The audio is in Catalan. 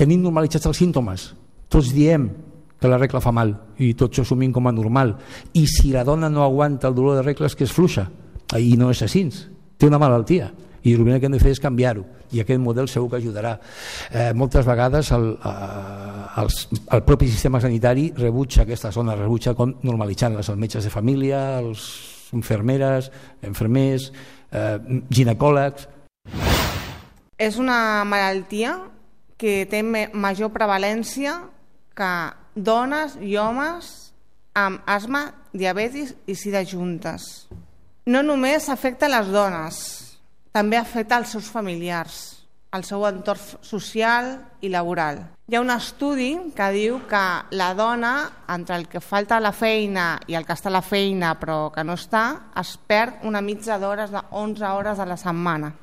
tenim normalitzats els símptomes. Tots diem que la regla fa mal i tots ho assumim com a normal. I si la dona no aguanta el dolor de regla és que és fluixa i no és així, té una malaltia. I el que hem de fer és canviar-ho, i aquest model segur que ajudarà. Moltes vegades el propi sistema sanitari rebutja aquesta zona, rebutja com normalitzant-les, els metges de família, els infermeres, infermers, ginecòlegs. És una malaltia que té major prevalència que dones i homes amb asma, diabetis i sida juntes. No només afecta les dones, també afecta els seus familiars, el seu entorn social i laboral. Hi ha un estudi que diu que la dona, entre el que falta a la feina i el que està a la feina però que no està, es perd una mitja d'hores, de 11 hores a la setmana.